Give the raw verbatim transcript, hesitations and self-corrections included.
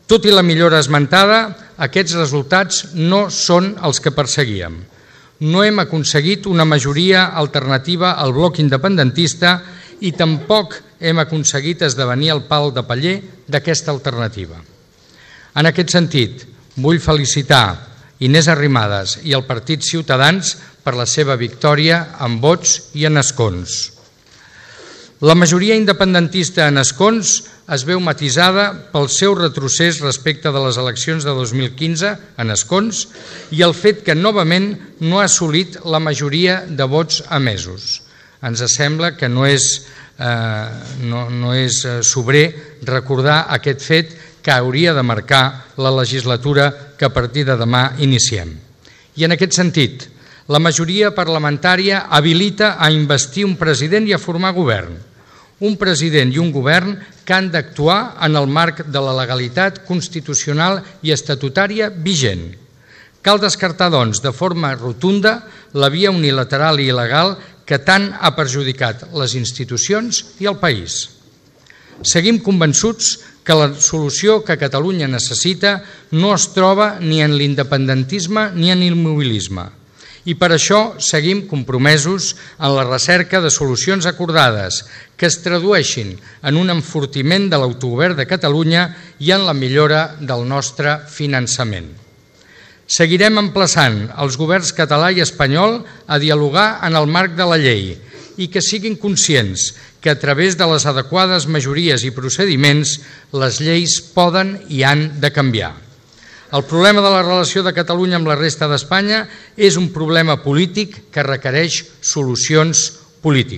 Tot i la millora esmentada, aquests resultats no són els que perseguíem. No hem aconseguit una majoria alternativa al bloc independentista i tampoc hem aconseguit esdevenir el pal de paller d'aquesta alternativa. En aquest sentit, vull felicitar Inés Arrimadas i el Partit Ciutadans per la seva victòria en vots i en escons. La majoria independentista en escons es veu matisada pel seu retrocés respecte de les eleccions de dos mil quinze en escons i el fet que novament no ha assolit la majoria de vots emesos. Ens sembla que no és, eh, no, no és sobrer recordar aquest fet que hauria de marcar la legislatura que a partir de demà iniciem. I en aquest sentit, la majoria parlamentària habilita a investir un president i a formar govern. Un president i un govern que han d'actuar en el marc de la legalitat constitucional i estatutària vigent. Cal descartar, doncs, de forma rotunda la via unilateral i il·legal que tant ha perjudicat les institucions i el país. Seguim convençuts que la solució que Catalunya necessita no es troba ni en l'independentisme ni en l'immobilisme. I per això seguim compromesos en la recerca de solucions acordades que es tradueixin en un enfortiment de l'autogovern de Catalunya i en la millora del nostre finançament. Seguirem emplaçant els governs català i espanyol a dialogar en el marc de la llei i que siguin conscients que a través de les adequades majories i procediments les lleis poden i han de canviar. El problema de la relació de Catalunya amb la resta d'Espanya és un problema polític que requereix solucions polítiques.